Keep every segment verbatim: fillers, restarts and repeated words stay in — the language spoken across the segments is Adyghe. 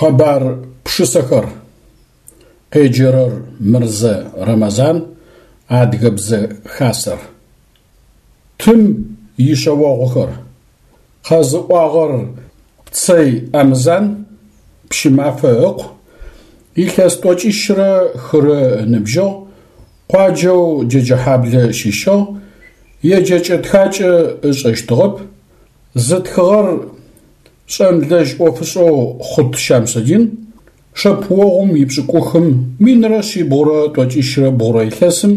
Къэбар пшысэхэр. Къеджэрэр Мырзэ Рэмэзан, Адыгэбзэ Хасэр. Тым ишъэогъухэр. Къэзыӏуагъэр Цэй Амзан, Пщымафэ ыкъу, илъэс тӏокӏищрэ хырэ ыныбжьыгъ, къуаджэу Джэджэхьаблэ щыщыгъ, еджэкӏэ-тхакӏэ ышӏэщтыгъэп, зытхыгъэр шӏэнлэжь ӏофышӏэу Хъут Щамсудин, шэпыогъум ипшӏыкӏухым минрэ шъибгъурэ тӏокӏищрэ бгъурэ илъэсым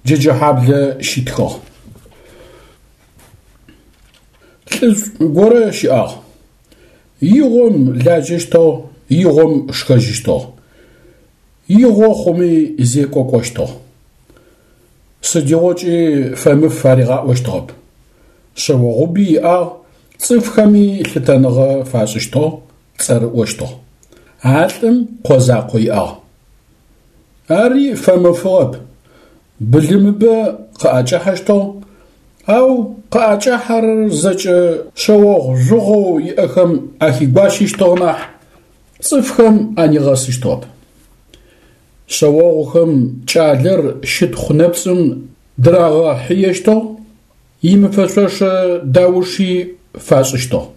Джэджэхьаблэ щитхыгъ. Лӏышӏу горэ щыӏагъ. Игъом лажьэщтыгъ, игъом шхэжьыщтыгъ. Игъо хъуми зекӏо кӏощтыгъ. Сыдигъокӏи фэмыф аригъаӏощтыгъэп. Шъэогъуби иӏагъ, цӏыфхэми лъытэныгъэ фашӏыщтыгъ, цӏэрыӏощтыгъ. А лӏым къо закъо иӏагъ. Ари фэмыфыгъэп, былымыбэ къыӏэкӏахьэщтыгъ, ау къыӏэкӏахьэрэр зэкӏэ шъэогъу жъугъэу иӏэхэм ахигуащыщтыгъ нахь, цӏыфхэм анигъэсыщтыгъэп. Шъэогъухэм кӏалэр щытхъу нэпцӏым дырагъэхьыещтыгъ, имыфэшъошэ дауши фашӏыщтыгъ.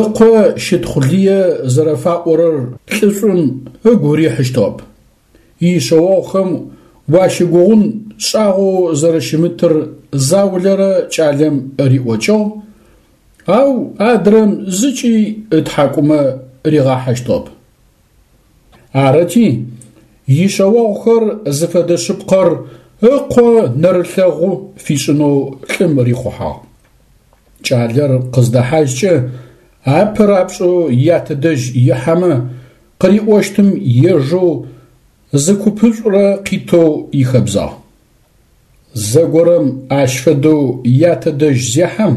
Ыкъо щытхъу лые зэрэфаӏорэр лӏышӏум ыгу рихьыщтыгъэп. Ишъэогъухэм уащыгугъун шӏагъоу зэрэщымытыр заулэрэ кӏалэм риӏокӏыгъ, ау адрэм зыкӏи ытхьакӏумэ ригъахьэщтыгъэп. Арыти, ишъэогъухэр зыфэдэ шъыпкъэр ыкъо нэрылъэгъу фишӏынэу лӏым рихъухьагъ. Кӏалэр къыздэхьажькӏэ апэ рапшӏэу ятэ дэжь ихьэмэ къыриӏощтым ежэу зы купышӏурэ къитэу ихэбзагъ. Зэгорэм ащ фэдэу ятэ дэжь зехьэм,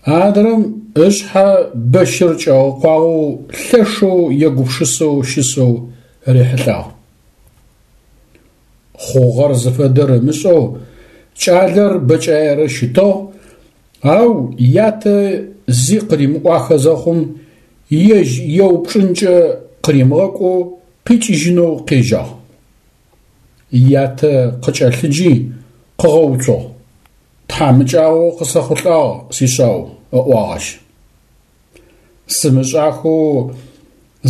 адрэм ышъхьэ бэщыр кӏэгъэкъуагъэу лъэшэу егупшысэу щысэу рихьылӏагъ. Хъугъэр зыфэдэр ымышӏэу кӏалэр бэкӏаерэ щытыгъ, ау ятэ зи къыримыӏуахэ зэхъум, ежь еупчӏынкӏэ къыримыгъэкӏоу къикӏыжьынэу къежьагъ. Ятэ къыкӏэлъыджи къыгъэуцугъ. Тхьамыкӏагъо къысэхъулӏагъ, сишъау, ыӏуагъ ащ. Сымышӏахэу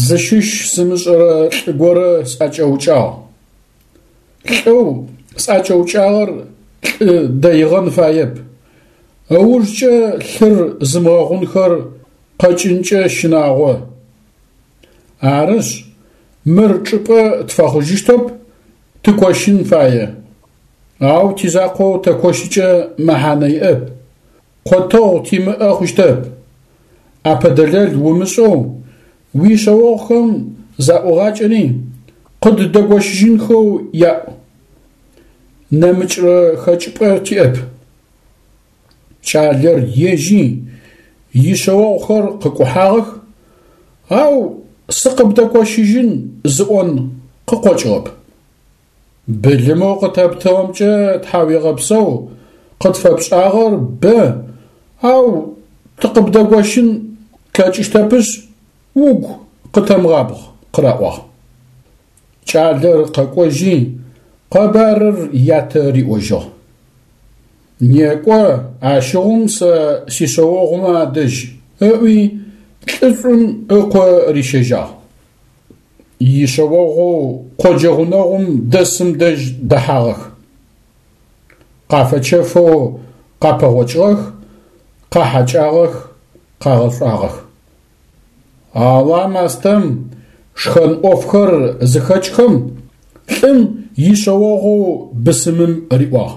зыщыщ сымышӏэрэ лӏы горэ сӏэкӏэукӏагъ. Лӏэу сӏэкӏэукӏагъэр лӏы дэигъэн фаеп. Ыужкӏэ лъыр зымыгъэгъунхэр къэкӏынкӏэ щынагъо. Арышъ, мыр чӏыпӏэ тфэхъужьыщтэп, тыкощын фае. Ау тизакъоу тэкощыкӏэ мэхьанэ иӏэп. Къотэгъу тимыӏэ хъущтэп. Ӏэпэдэлэл умышӏэу уишъэогъухэм заӏугъакӏэри къыддэгощыжьынхэу яӏу. Нэмыкӏрэ хэкӏыпӏэ тиӏэп. Кӏалэр ежьи ишъэогъухэр къыкӏухьагъэх, ау сыкъыбдэкощыжьын зыӏон къыкъокӏыгъэп. Былымэу къытэптыгъэмкӏэ тхьауегъэпсэу, къытфэпшӏагъэр бэ, ау тыкъыбдэгощын тлъэкӏыщтэпышъ, угу къытэмыгъабгъ, къыраӏуагъ. Кӏалэр къэкӏожьи, къэбарыр ятэ риӏожьыгъ. Некӏо, ащыгъум сэ сишъэогъумэ адэжь, ыӏуи лӏышӏум ыкъо рищэжьагъ. Ишъэогъоу къоджэ гъунэгъум дэсым дэжь дэхьагъэх. Къафэчэфэу къапэгъокӏыгъэх, къахьэкӏагъэх, къагъэшӏуагъэх. Ала мастэм шхэн ӏофхэр зыхэкӏхэм лӏым ишъэогъоу бысымым риӏуагъ: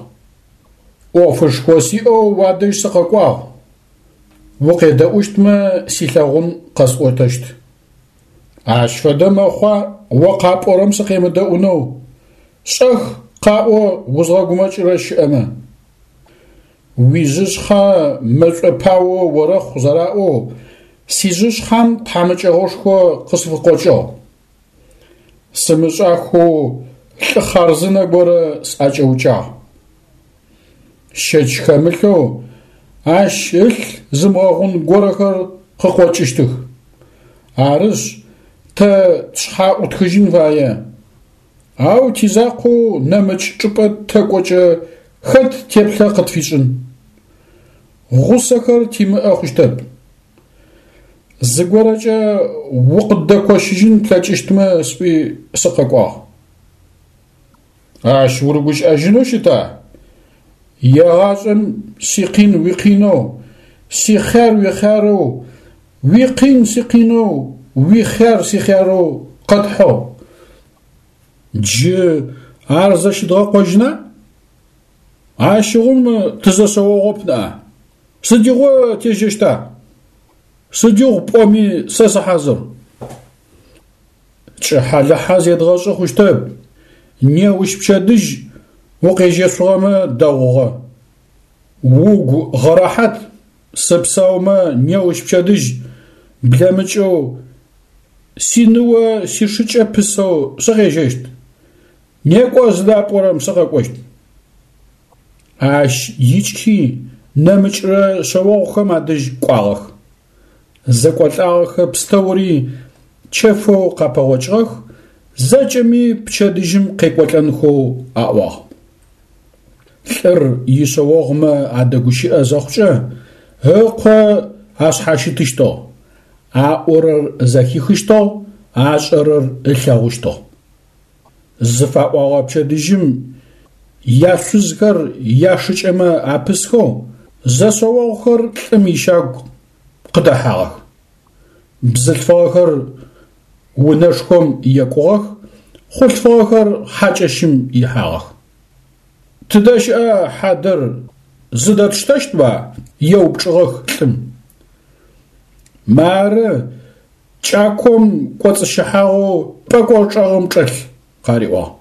«Ӏофышхо сиӏэу уадэжь сыкъэкӏуагъ, укъедэӏущтмэ силъэгъун къэсӏотэщт». Ащ фэдэ мэхъуа о къапӏорэм сыкъемыдэӏунэу, шӏэх къаӏо узгъэгумэкӏырэ щыӏэмэ. Уижъышъхьэ мэшӏо пао орэхъу зэраӏоу, сижъышъхьэм тхьамыкӏэгъошхо къысфыкъокӏыгъ. Сымышӏахэу лӏы хъарзынэ горэ сӏэкӏэукӏагъ. Щэч хэмылъэу ащ ылъ зымыгъэгъун горэхэр къыкъокӏыщтых. Арышъ, тэ тшъхьэ ӏутхыжьын фае. Ау тизакъоу нэмыкӏ чӏыпӏэ тэкӏокӏэ хэт теплъэ къытфишӏын? Гъусэхэр тимыӏэ хъущтэп. Зыгорэкӏэ укъыддэкощыжьын плъэкӏыщтмэ сӏуи сыкъэкӏуагъ. Ащ урыгущыӏэжьынэу щыта? Егъашӏэм сикъин уикъинэу, сихъяр уихъярэу, уикъин сикъинэу, уихъяр сихъярэу къэтхьыгъ. Джы ар зэщыдгъэкъожьына? Ащыгъум тызэшъэогъоп ныӏа? Сыдигъо тежьэщта? Сыдигъу пӏоми сэ сыхьазыр. Кӏыхьэ-лыхьэ зедгъэшӏы хъущтэп. Неущ пчэдыжь укъежьэшъугъэмэ дэгъугъэ. Угу гъэрэхьат, сыпсаумэ неущ пчэдыжь блэмыкӏэу синыо сишыкӏэ пысэу сыкъежьэщт. Некӏо зыдапӏорэм сыкъэкӏощт. Ащ икӏхи нэмыкӏрэ шъэогъухэм адэжь кӏуагъэх. Зэкӏолӏагъэхэ пстэури чэфэу къапэгъокӏыгъэх, зэкӏэми пчэдыжьым къекӏолӏэнхэу аӏуагъ. Лӏыр ишъэогъумэ адэгущыӏэ зэхъукӏэ ыкъо ашъхьащытыщтыгъ, аӏорэр зэхихыщтыгъ, ашӏэрэр ылъэгъущтыгъ. Зыфаӏогъэ пчэдыжьым яшъузхэр яшыкӏэмэ апысхэу зэшъэогъухэр лӏым ищагу къыдэхьагъэх. Бзылъфыгъэхэр унэшхом екӏугъэх, хъулъфыгъэхэр хьакӏэщым ихьагъэх. Тыдэ щыӏа хьадэр зыдэтштэщтба? Еупчӏыгъэх лӏым. Мары кӏаком кӏоцӏыщыхьагъэу пӏэкӏор чӏэгъым чӏэлъ, къариӏуагъ.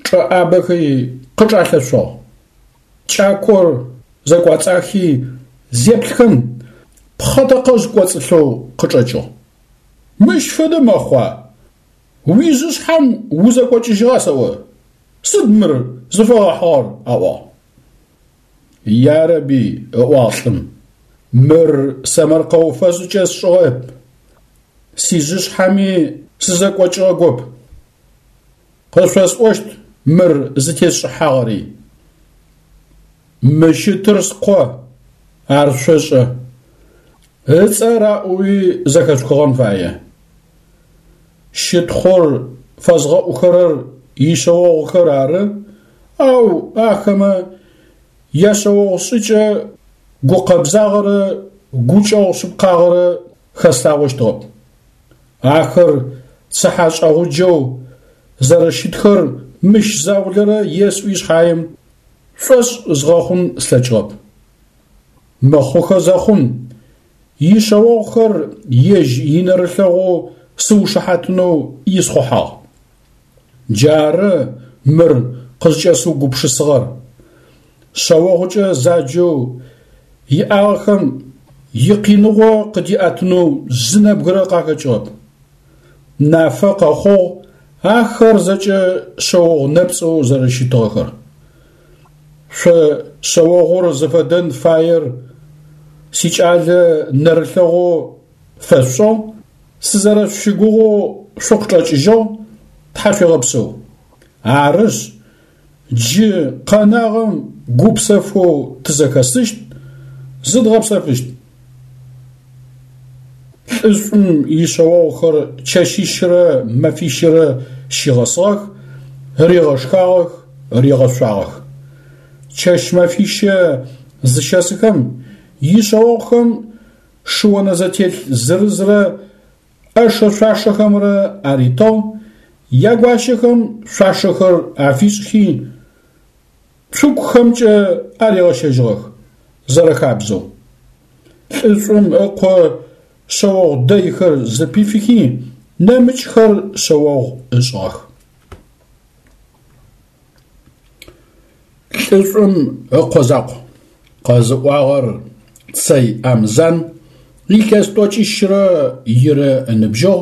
Чӏэӏабэхи къычӏалъэшъугъ. Кӏакор зэкӏуацӏахи зеплъхэм пхъэтэкъэжъ кӏоцӏылъэу къычӏэкӏыгъ. Мыщ фэдэ мэхъуа? Уижъышъхьэм узэкӏокӏыжьыгъа сэӏо? Сыд мыр зыфэгъэхьыгъэр? Аӏуагъ. Ярэби, ыӏуагъ лӏым, мыр сэмэркъэу фэшӏыкӏэ сшӏыгъэп, сижъышъхьэми сызэкӏокӏыгъэгоп. Къышъосӏощт мыр зытесшӏыхьагъэри. Мы щытыр скъо, ар шъошӏэ. Ыцӏэ раӏоуи зэхэшъухыгъэн фае. Щытхъур фэзгъэӏухэрэр ишъэогъухэр ары, ау ахэмэ яшъэогъу шӏыкӏэ гукъэбзагъэрэ гукӏэгъу шъыпкъагъэрэ хэслъагъощтыгъэп. Ахэр цыхьэшӏэгъуджэу зэрэщытхэр мыщ заулэрэ есӏуи шъхьаем шӏошъ згъэхъун слъэкӏыгъэп. Мыхъухэ зэхъум ишъэогъухэр ежь инэрылъэгъоу сыушыхьатынэу исхъухьагъ. Джары мыр къызкӏэсыугупшысыгъэр. Шъэогъукӏэ заджэу иӏагъэхэм икъиныгъо къыдиӏэтынэу зы нэбгырэ къахэкӏыгъэп. Нафэ къэхъугъ ахэр зэкӏэ шъэогъу нэпцӏэу зэрэщытыгъэхэр. Шъо шъэогъур зыфэдэн фаер сикӏалэ нэрылъэгъоу фэшъушӏыгъ, сызэрэшъущыгугъэу шъукъычӏэкӏыжьыгъ, тхьашъуегъэпсэу. Арышъ, джы къэнагъэм гупсэфэу тызэхэсыщт, зыдгъэпсэфыщт. Лӏышӏум ишъэогъухэр чэщищырэ мэфищырэ щигъэсыгъэх, ригъэшхагъэх, ригъэшъуагъэх. Чэщ-мэфищэ зыщэсыхэм ишъэогъухэм шыонэзэтелъ зырызрэ ӏэшэ-шъуашэхэмрэ аритыгъ, ягуащэхэм шъуашэхэр афишӏхи, цукухэмкӏэ аригъэщэжьыгъэх, зэрэхабзэу. Лӏышӏум ыкъо шъэогъу дэйхэр зыпифыхи, нэмыкӏхэр шъэогъу ышӏыгъэх. Лӏышӏум ыкъо закъу. Къэзыӏуагъэр Цэй Амзан, илъэс тӏокӏищрэ ирэ ыныбжьыгъ,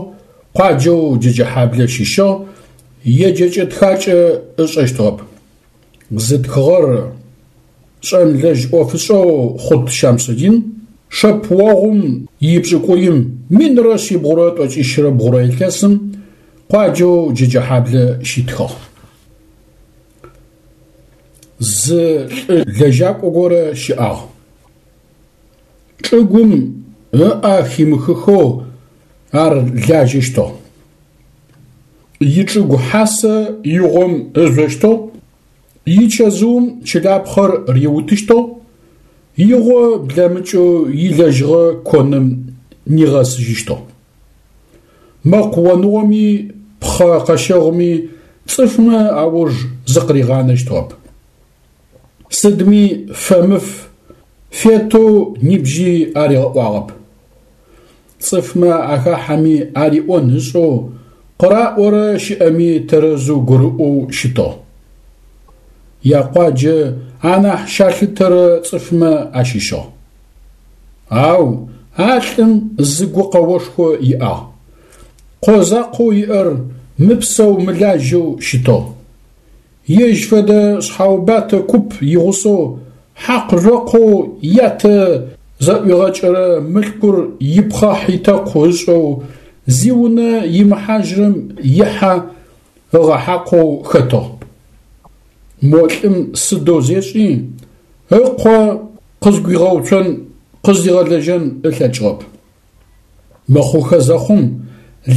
къуаджэу Джэджэхьаблэ щыщыгъ, еджэкӏэ-тхакӏэ ышӏэщтыгъэп. Зытхыгъэр шӏэнлэжь ӏофышӏэу Хъут Щамсудин, Шэпыогъум ипшӏыкӏуим минрэ шъибгъурэ тӏокӏищрэ бгъурэ илъэсым къуаджэу Джэджэхьаблэ щитхыгъ. Зы лӏы лэжьакӏо горэ щыӏагъ. Чӏыгум ыӏэ химыхыхэу ар лажьэщтыгъ. Ичӏыгу хьасэ игъом ыжъощтыгъ, ичэзыум чылапхъэр риутыщтыгъ, игъо блэмыкӏэу илэжьыгъэ коным нигъэсыжьыщтыгъ. Мэкъу оныгъоми пхъэ къэщэгъуми цӏыфмэ ауж зыкъыригъанэщтыгъэп. Сыдми фэмыф, фетэу нибжьи аригъэӏуагъэп. Цӏыфмэ ахахьэми ариӏон ышӏэу, къыраӏорэ щыӏэми тэрэзэу гурыӏоу щытыгъ. Якъуаджэ анахь щалъытэрэ цӏыфмэ ащыщыгъ. Ау а лӏым зы гукъэошхо иӏагъ. Къо закъоу иӏэр мыпсэу-мылажьэу щытыгъ. Ежь фэдэ шъхьаубатэ куп игъусэу хьакъ-жъокъоу ятэ зэӏуигъэкӏэрэ мылъкур ипхъахь-итэкъу ышӏэу зиунэ имыхьажьырэм ихьэ ыгъэхьакъоу хэтыгъ. Мо лӏым сыдэу зешӏи, ыкъо къызгуигъэуцон, къыздигъэлэжьэн ылъэкӏыгъэп. Мыхъухэ зэхъум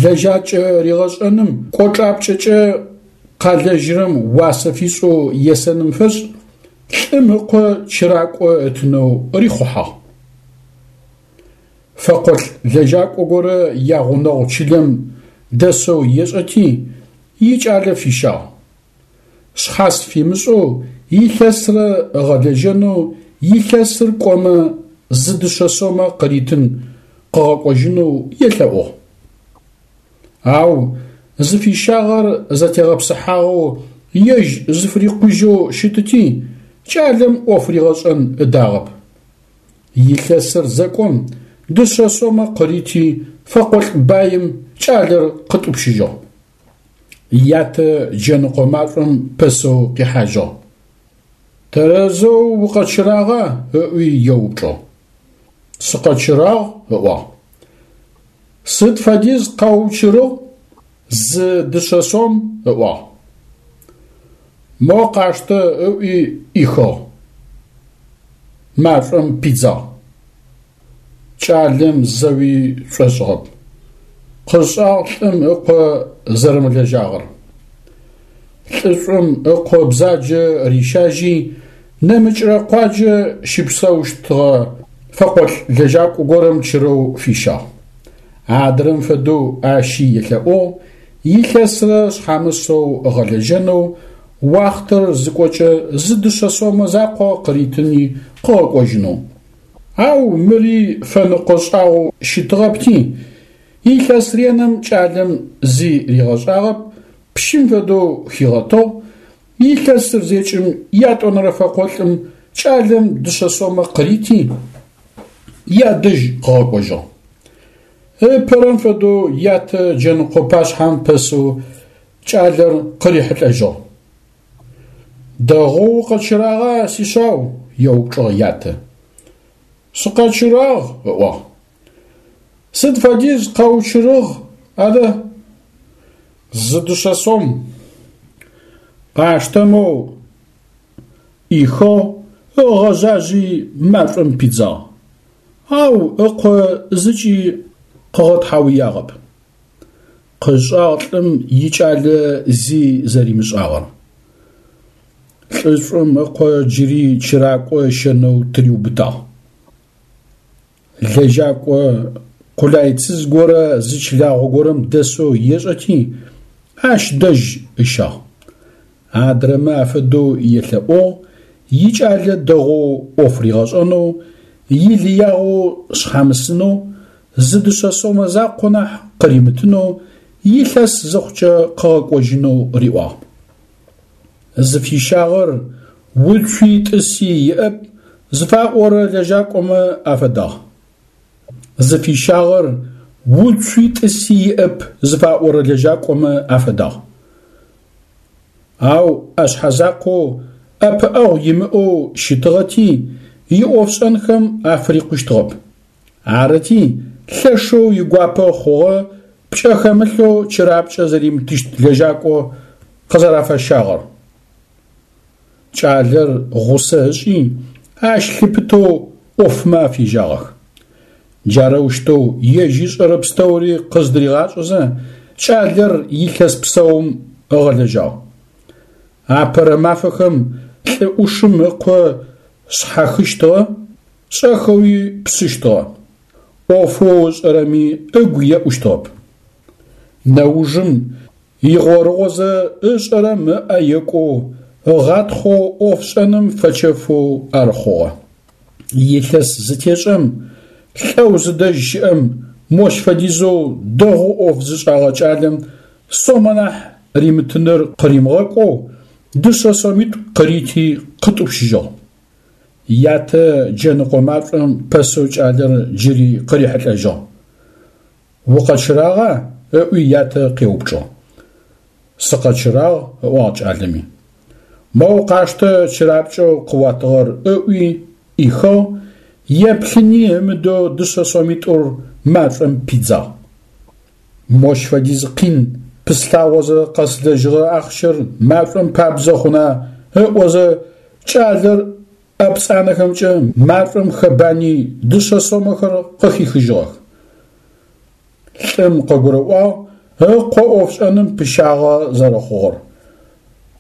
лэжьакӏэ ригъэшӏэным кӏочӏапкӏэкӏэ къалэжьырэм уасэ фишӏэу есэным фэшӏ лӏым ыкъо чыракӏо ытынэу рихъухьагъ. Фэкъолӏ лэжьакӏо горэ ягъунэгъу чылэм дэсэу ешӏэти, икӏалэ фищагъ. Шъхьас фимышӏэу илъэсрэ ыгъэлэжьэнэу, илъэсыр кӏомэ зы дышъэ сомэ къыритын къыгъэкӏожьынэу елъэӏугъ. Ау зыфищагъэр зэтегъэпсыхьагъэу ежь зыфырикъужьэу щытыти, кӏалэм ӏоф ригъэшӏэн ыдагъэп. Илъэсыр зэкӏом дышъэ сомэ къырити фэкъолӏ баим кӏалэр къытӏупщыжьыгъ. Ятэ джэныкъо машӏом пэсэу къихьажьыгъ. Тэрэзэу укъэчырагъа? ыӏуи еупчӏыгъ. Сыкъэчырагъ, ыӏуагъ. Сыд фэдиз къэуучырыгъ? Зы дышъэ сом, ыӏуагъ. Мо къаштэ, ыӏуи ӏихыгъ. Машӏом пидзагъ. Кӏалэм зэуи шӏошӏыгъэп. Къышӏагъ лӏым ыкъо зэрэмылэжьагъэр. Лӏышӏум ыкъо бзаджэ рищажьи, нэмыкӏрэ къуаджэ щыпсэущтыгъэ фэкъолӏ лэжьакӏо горэм чырэу фищагъ. Адрэм фэдэу ащи елъэӏугъ, илъэсрэ шъхьамысэу ыгъэлэжьэнэу, уахътэр зыкӏокӏэ зы дышъэ сомэ закъо къыритыни къыгъэкӏожьынэу. Ау мыри фэныкъо шӏагъоу щытыгъэпти, илъэс реным кӏалэм зи ригъэшӏагъэп, пщым фэдэу хигъэтыгъ, илъэсыр зекӏым ятӏонэрэ фэкъолӏым кӏалэм дышъэ сомэ къырити, ядэжь къыгъэкӏожьыгъ. Ыпэрэм фэдэу ятэ джэныкъо пашъхьэм пэсэу кӏалэр къырихьылӏэжьыгъ. Дэгъоу укъэчырагъа, сишъау? еупчӏыгъ ятэ. Сыкъэчырагъ, ыӏуагъ. Сыд фэдиз къэучырыгъ адэ? Зы дышъэ сом. Къаштэ моу, ӏихыгъ, ыгъэжъажъи машӏом пидзагъ. Ау ыкъо зыкӏи къыгъэтхьауягъэп. Къышӏагъ лӏым икӏалэ зи зэримышӏагъэр. Лӏышӏум ыкъо джыри чыракӏо ыщэнэу тыриубытагъ. Лэжьакӏо къулайцыз горэ зы чылагъо горэм дэсэу ешӏэти, ащ дэжь ыщагъ. Адрэмэ афэдэу елъэӏугъ, икӏалэ дэгъоу ӏоф ригъэшӏэнэу, илыягъэу шъхьамысынэу, зы дышъэ сомэ закъо нахь къыримытынэу, илъэс зыхъукӏэ къыгъэкӏожьынэу риӏуагъ. Зыфищагъэр уцуи тӏыси иӏэп зыфаӏорэ лэжьакӏомэ афэдагъ. Зыфищагъэр уцуи тӏыси иӏэп зыфаӏорэ лэжьакӏомэ афэдагъ. Ау ӏэшъхьэзакъоу ӏэпыӏэгъу имыӏэу щытыгъэти, иӏофшӏэнхэм афырикъущтыгъэп. Арыти, лъэшэу игуапэ хъугъэ пкӏэ хэмылъэу чырапкӏэ зэримытыщт лэжьакӏо къызэрафэщагъэр. Кӏалэр гъусэ ышӏи, ащ лъыпытэу ӏофмэ афежьагъэх. Джарэущтэу ежь ышӏэрэ пстэури къыздыригъашӏэзэ, кӏалэр илъэс псэум ыгъэлэжьагъ. Апэрэ мафэхэм лӏы ӏушым ыкъо шъхьахыщтыгъэ, шӏэхэуи пшъыщтыгъэ. ӏофэу ышӏэрэми ыгу еӏущтыгъэп. Нэужым игъорыгъозэ ышӏэрэм ыӏэ екӏоу, ыгъатхъэу ӏофшӏэным фэчэфэу ар хъугъэ. Илъэс зытешӏэм лӏэу зыдэжь щыӏэм мощ фэдизэу дэгъоу ӏоф зышӏагъэ кӏалэм сомэ нахь римытыныр къыримыгъэкӏоу дышъэ сомитӏу къырити къытӏупщыжьыгъ. Ятэ джэныкъо машӏом пэсэу кӏалэр джыри къырихьылӏэжьыгъ. «Укъэчырагъа?» ыӏуи ятэ къеупчӏыгъ. «Сыкъэчырагъ», ыӏуагъ кӏалэми. «Моу къаштэ чырапкӏэу къыуатыгъэр» ыӏуи ӏихыгъ, еплъыни ымыдэу дышъэ сомитӏур машӏом пидзагъ. Мощ фэдиз къин пыслъагъозэ къэслэжьыгъэ ахъщэр машӏом пабдзэ хъуна ыӏозэ кӏалэр ӏэ пцӏанэхэмкӏэ машӏом хэбани дышъэ сомэхэр къыхихыжьыгъэх. Лӏым къыгурыӏуагъ ыкъо ӏофшӏэным пыщагъэ зэрэхъугъэр.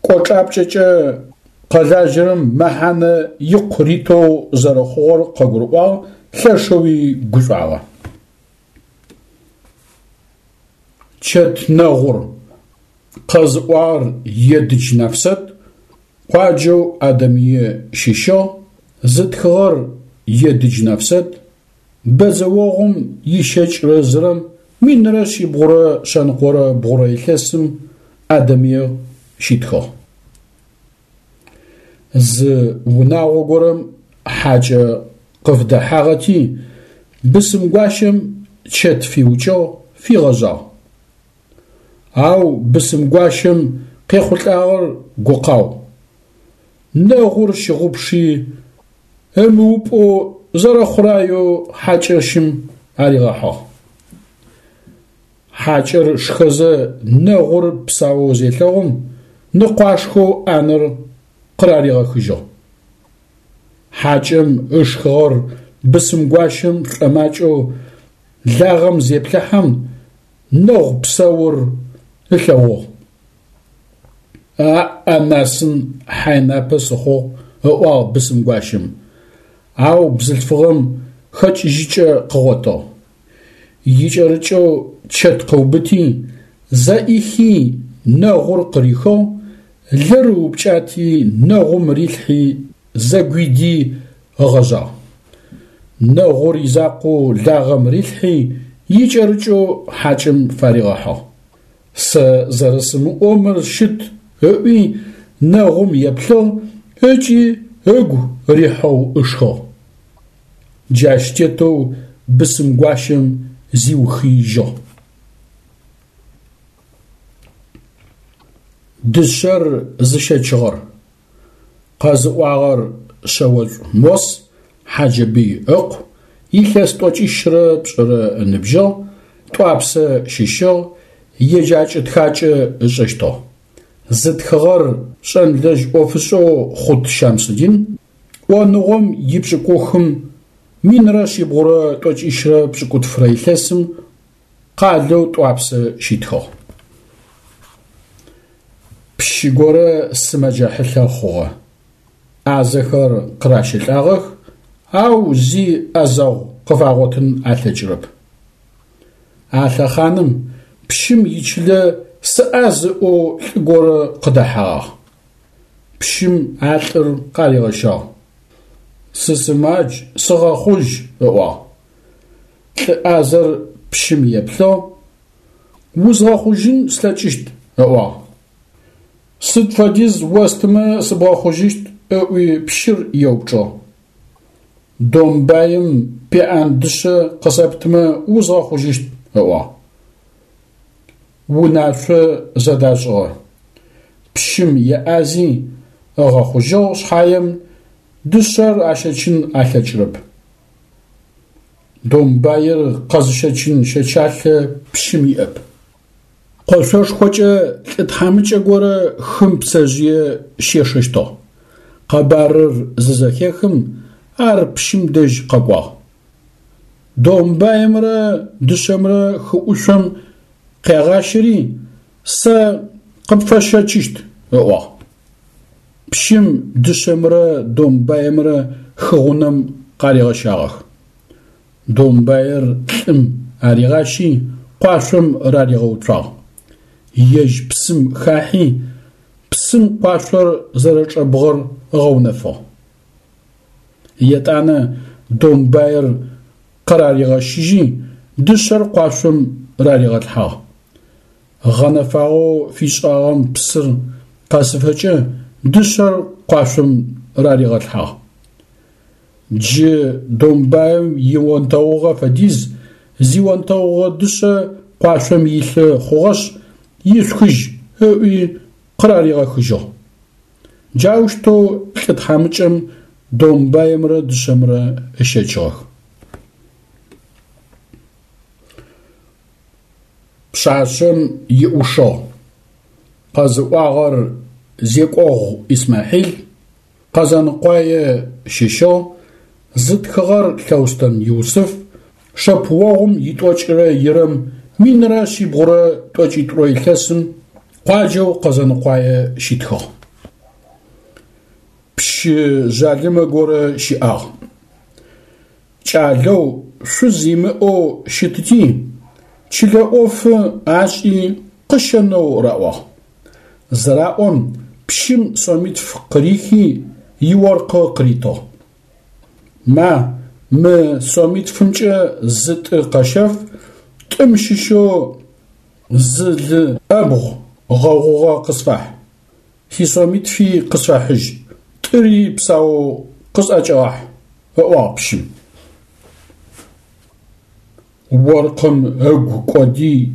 Кӏочӏапкӏэкӏэ къылажьэрэм мэхьанэ икъу ритэу зэрэхъугъэр къыгурыӏуагъ, лъэшэуи гушӏуагъэ. Чэт нэгъур къэзыӏуагъэр Едыдж Нэфсэт, къуаджэу Адэмые щыщыгъ, зытхыгъэр Едыдж Нэфсэт, бэдзэогъум ищэкӏрэ зырэм минрэ шъибгъурэ шъэныкъорэ бгъурэ илъэсым Адэмые щитхыгъ. Зы унагъо горэм хьакӏэ къыфдэхьагъэти, бысымгуащэм чэт фиукӏыгъ, фигъэжъагъ. Ау бысымгуащэм къехъулӏагъэр гукъау. Нэгъур щыгъупши, ымыупӏэу зэрэхъураеу хьакӏэщым аригъэхьыгъ. Хьакӏэр шхэзэ нэгъур псаоу зелъэгъум, ныкъуашхэу ӏанэр къыраригъэхыжьыгъ. Хьакӏэм ышхыгъэр бысымгуащэм шӏомакӏэу лагъэм зеплъыхьэм, нэгъу псаур ылъэгъугъ. Аӏ-анасын хьайнапэ сыхъугъ, ыӏуагъ бысымгуащэм, ау бзылъфыгъэм хэкӏыжьыкӏэ къыгъотыгъ. Икӏэрыкӏэу чэт къыубыти, зэӏихи нэгъур къырихыгъ, лыр ыупкӏати нэгъум рилъхьи зэгуиди ыгъэжъагъ. Нэгъур изакъоу лагъэм рилъхьи икӏэрыкӏэу хьакӏэм фаригъэхьыгъ. Сэ зэрэсымыӏоу мыр щыт ыӏуи нэгъум еплъыгъ ыкӏи ыгу рихьэу ышхыгъ. Джащ тетэу бысымгуащэм зиухыижьыгъ. Дышъэр зыщэчыгъэр къэзыӏуагъэр Шъэошӏу Мос Хьаджэбый ыкъу, илъэс тӏокӏищрэ пшӏырэ ыныбжьыгъ, Тӏуапсэ щыщыгъ, еджакӏэ-тхакӏэ ышӏэщтыгъ. Зытхыгъэр шӏэнлэжь ӏофышӏэу Хъут Щамсудин, ӏоныгъом ипшӏыкӏухым минрэ шъибгъурэ тӏокӏищрэ пшӏыкӏутфырэ илъэсым къалэу Тӏуапсэ щитхыгъ. Пщы горэ сымэджэ хьылъэ хъугъэ. Ӏазэхэр къыращэлӏагъэх, ау зи ӏэзэгъу къыфагъотын алъэкӏырэп. А лъэхъаным пщым ичылэ сыӏаз ыӏоу лӏы горэ къыдэхьэгъагъ. Пщым а лӏыр къаригъэщагъ. Сысымадж, сыгъэхъужь, ыӏуагъ. Лӏы ӏазэр пщым еплъыгъ, узгъэхъужьын слъэкӏыщт, ыӏуагъ. Сыд фэдиз остымэ сыбгъэхъужьыщт, ыӏуи пщыр еупчӏыгъ. Домбаим пеӏэн дышъэ къысэптымэ узгъэхъужьыщт, ыӏуагъ. Унашъо зэдашӏыгъэ. Пщым еӏази ыгъэхъужьыгъ шъхьаем дышъэр ащэчын алъэкӏырэп. Домбаир къэзыщэчын щэчалъэ пщым иӏэп. Къошъошхокӏэ лӏы тхьамыкӏэ горэ хым пцэжъые щешэщтыгъ. Къэбарыр зызэхехым, ар пщым дэжь къэкӏуагъ. Домбаемрэ дышъэмрэ хы ӏушъом къягъащэри, сэ къыпфэсщэчыщт, ыӏуагъ. Пщым дышъэмрэ домбаемрэ хы гъунэм къаригъэщагъэх. Домбаер лӏым аригъащи, къуашъом раригъэуцуагъ. Ежь псым хахьи, псым къуашъор зэрэчӏэбгъэр ыгъэунэфыгъ. Етӏанэ домбаер къыраригъэщыжьи, дышъэр къуашъом раригъэлъхьагъ. Гъэнэфагъэу фишӏагъэм псыр къэсыфэкӏэ дышъэр къуашъом раригъэлъхьагъ. Джы домбаем ионтэгъугъэ фэдиз зионтэгъугъэ дышъэ къуашъом илъы хъугъэшъ, ишъухыжь, ыӏуи къыраригъэхыжьыгъ. Джаущтэу лӏы тхьамыкӏэм домбаемрэ дышъэмрэ ыщэчыгъэх. Пшъашъэм иӏушыгъ. Къэзыӏуагъэр Зекӏогъу Исмахьил, Къэзэныкъуае щыщыгъ, зытхыгъэр Лъэустэн Юсыф, шэпыогъум итӏокӏырэ ирэм минрэ шъибгъурэ тӏокӏитӏурэ илъэсым къуаджэу Къэзэныкъуае щитхыгъ. Пщы жъалымэ горэ щыӏагъ. Кӏалэу, шъуз имыӏэу щытыти, чылэ ӏофы ашӏи къыщэнэу раӏуагъ. Зыраӏом, пщым сомитф къырихи иоркъы къыритыгъ. Ма, мы сомитфымкӏэ зы тӏы къэщэф, тӏым щыщэу зы лы ӏэбгъу гъэгъугъэ къысфахь. Сисомитфи къысфэхьыжь, тӏыри псаоу къысӏэкӏэгъахь, ыӏуагъ пщым. Оркъым ыгу кӏоди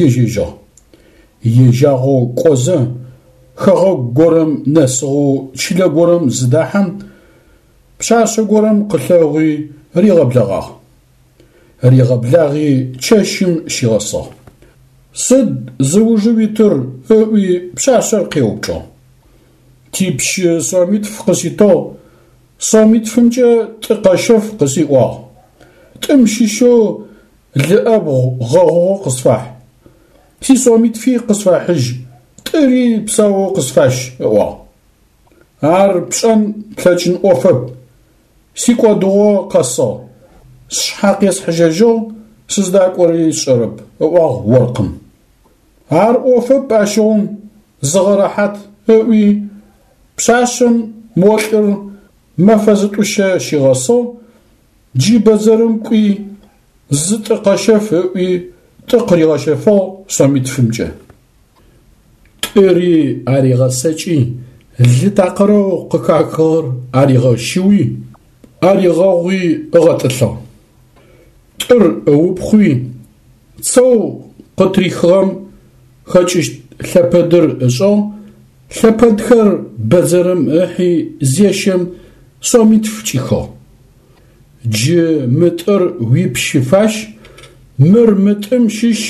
ежьэжьыгъ. Ежьагъэу кӏозэ, хэгъэгу горэм нэсыгъэу чылэ горэм зыдахьэм, пшъашъэ горэм къылъэгъуи ригъэблэгъагъ. Ригъэблагъи чэщым щигъэсыгъ. Сыд зыужы уитыр? Ыӏуи пшъашъэр къеупчӏыгъ. Типщы сомитф къыситыгъ, сомитфымкӏэ тӏы къэщэф къысиӏуагъ. Тӏым щыщэу лы ӏэбгъу гъэгъугъэ къысфахь. Сисомитфи къысфэхьыжь, тӏыри псаоу къысфащ, ыӏуагъ. Ар пшӏэн плъэкӏын ӏофэп, сикӏодыгъо къэсыгъ, сшъхьэ къесхьыжьэжьыгъ, сыздакӏори сшӏэрэп, ыӏуагъ оркъым. Ар ӏофэп ащыгъум, зыгъэрэхьат, ыӏуи, пшъашъэм мо лӏыр мэфэ зытӏущэ щигъэсыгъ, джы бэдзэрым кӏуи, зы тӏы къэщэф ыӏуи, тӏы къыригъэщэфыгъ сомитфымкӏэ. Тӏыри аригъэсэкӏи, лы такъырэу къыхахыгъэр аригъэщыуи, аригъэгъуи ыгъэтӏылъыгъ. Тӏыр ыупхъуи, цэу къытрихыгъэм хэкӏыщт лъэпэдыр ышӏыгъ, лъэпэдхэр бэдзэрым ыхьи зещэм сомитф кӏихыгъ. Джы мы тӏыр уипщы фащ, мыр мы тӏым щыщ